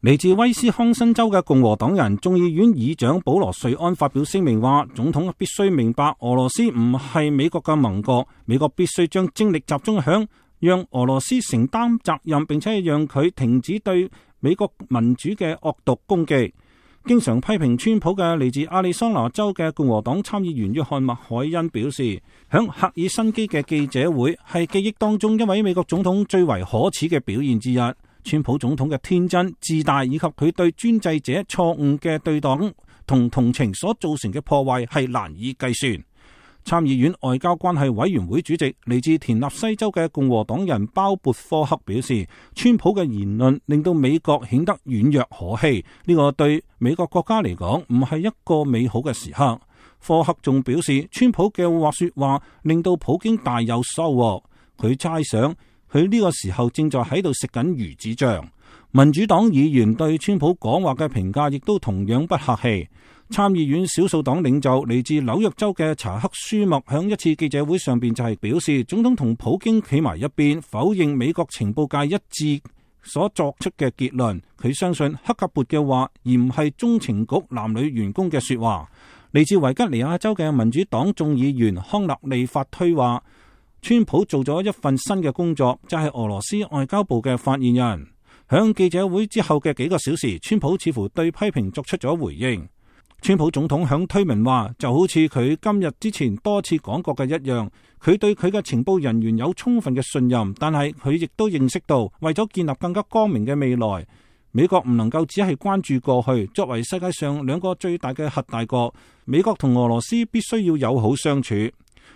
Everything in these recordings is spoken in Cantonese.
嚟自威斯康辛州嘅共和黨人眾議院議長保羅瑞安發表聲明話，總統必須明白俄羅斯唔係美國嘅盟國，美國必須將精力集中響讓俄羅斯承擔責任，並且讓佢停止對美國民主嘅惡毒攻擊。經常批評川普嘅嚟自亞利桑那州嘅共和黨參議員約翰麥凱恩表示，響赫爾辛基嘅記者會係記憶當中一位美國總統最為可恥嘅表現之一。川普總統嘅天真自大以及佢對專制者錯誤嘅對待同同情所造成嘅破壞係難以計算。參議院外交關係委員會主席嚟自田納西州嘅共和黨人鮑勃科克表示，川普嘅言論令到美國顯得軟弱可欺，呢個對美國國家嚟講唔係一個美好嘅時刻。科克仲表示，川普嘅說話令到普京大有收穫，佢猜想佢呢個時候正在喺度食緊魚子醬。民主黨議員對川普講話嘅評價亦都同樣不客氣。參議院少數黨領袖嚟自紐約州嘅查克舒默響一次記者會上邊就係表示，總統同普京企埋一邊，否認美國情報界一致所作出嘅結論。佢相信克格勃嘅話，而唔係中情局男女員工嘅說話。嚟自維吉尼亞州嘅民主黨眾議員康納利法推話，川普做咗一份新嘅工作，就係俄羅斯外交部嘅發言人。響記者會之後嘅幾個小時，川普似乎對批評作出咗回應。川普總統響推文話，就好似佢今日之前多次講過嘅一樣，佢對佢嘅情報人員有充分嘅信任，但係佢亦都認識到，為咗建立更加光明嘅未來，美國唔能夠只係關注過去。作為世界上兩個最大嘅核大國，美國同俄羅斯必須要友好相處。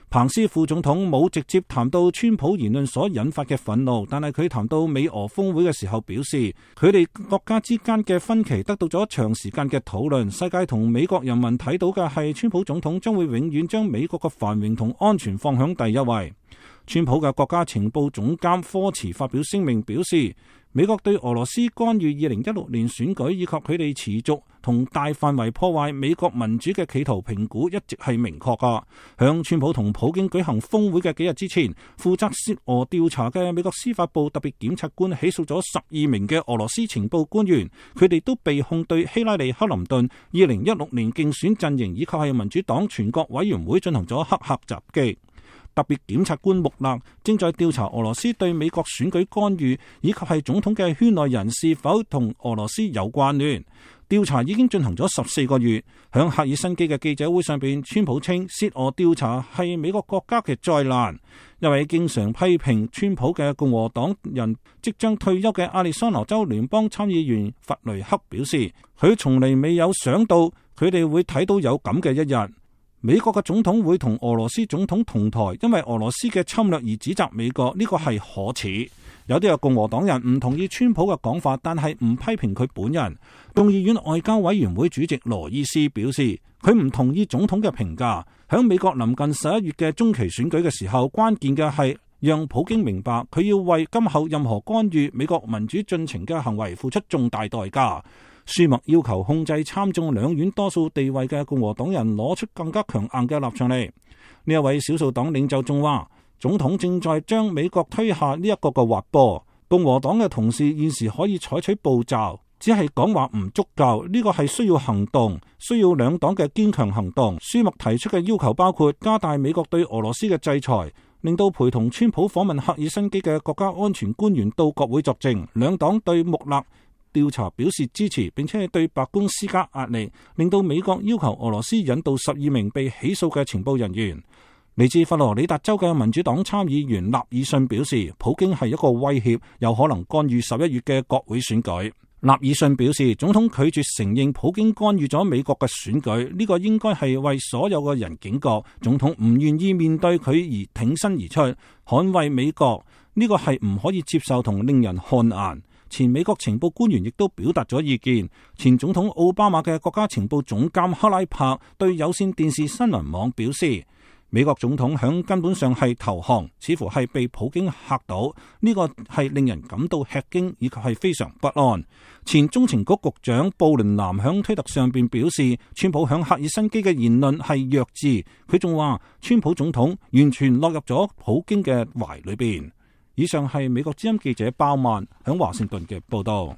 彭斯副總統冇直接談到川普言論所引發嘅憤怒，但係佢談到美俄峰會嘅時候表示，佢哋國家之間嘅分歧得到咗長時間嘅討論。世界同美國人民睇到嘅係川普總統將會永遠將美國嘅繁榮同安全放響第一位。川普嘅國家情報總監科茨發表聲明表示，美國對俄羅斯干預2016年選舉以及佢哋持續同大範圍破壞美國民主嘅企圖評估一直係明確㗎。響川普同普京舉行峰會嘅幾日之前，負責涉俄調查嘅美國司法部特別檢察官起訴咗12名嘅俄羅斯情報官員，佢哋都被控對希拉里·克林頓2016年競選陣營以及係民主黨全國委員會進行咗黑客襲擊。特別檢察官穆勒正在調查俄羅斯對美國選舉干預，以及係總統嘅圈內人是否同俄羅斯有關聯。調查已經進行咗14個月。響赫爾辛基嘅記者會上邊，川普稱涉俄調查係美國國家嘅災難。一位經常批評川普嘅共和黨人即將退休嘅亞利桑那州聯邦參議員弗雷克表示，佢從嚟未有想到佢哋會睇到有咁嘅一日。美國嘅總統會同俄羅斯總統同台，因為俄羅斯嘅侵略而指責美國，呢個係可恥。有啲嘅共和黨人唔同意川普嘅講法，但係唔批評佢本人。眾議院外交委員會主席羅伊斯表示，佢唔同意總統嘅評價。響美國臨近11月嘅中期選舉嘅時候，關鍵嘅係讓普京明白，佢要為今後任何干預美國民主進程嘅行為付出重大代價。舒默要求控制參眾兩院多數地位嘅共和黨人攞出更加強硬嘅立場嚟。呢一位少數黨領袖仲話，總統正在將美國推下呢一個個滑坡。共和黨嘅同事現時可以採取步驟，只係講話唔足夠，呢個係需要行動，需要兩黨嘅堅強行動。舒默提出嘅要求包括加大美國對俄羅斯嘅制裁，令到陪同川普訪問赫爾辛基嘅國家安全官員到國會作證。兩黨對穆勒調查表示支持，並且對白宮施加壓力，令到美國要求俄羅斯引渡12名被起訴嘅情報人員。嚟自佛羅里達州嘅民主黨參議員納爾遜表示，普京係一個威脅，有可能干預11月嘅國會選舉。納爾遜表示，總統拒絕承認普京干預咗美國嘅選舉，呢個應該係為所有嘅人警覺。總統唔願意面對佢而挺身而出，捍衛美國，呢個係唔可以接受同令人汗顏。前美國情報官員亦都表達咗意見。前總統奧巴馬嘅國家情報總監克拉柏對有線電視新聞網表示，美國總統響根本上係投降，似乎係被普京嚇到，呢個係令人感到吃驚以及係非常不安。前中情局局長布倫南響推特上邊表示，川普響赫爾辛基嘅言論係弱智。佢仲話，川普總統完全落入咗普京嘅懷裏邊。以上係美國之音記者鮑曼響華盛頓嘅報道。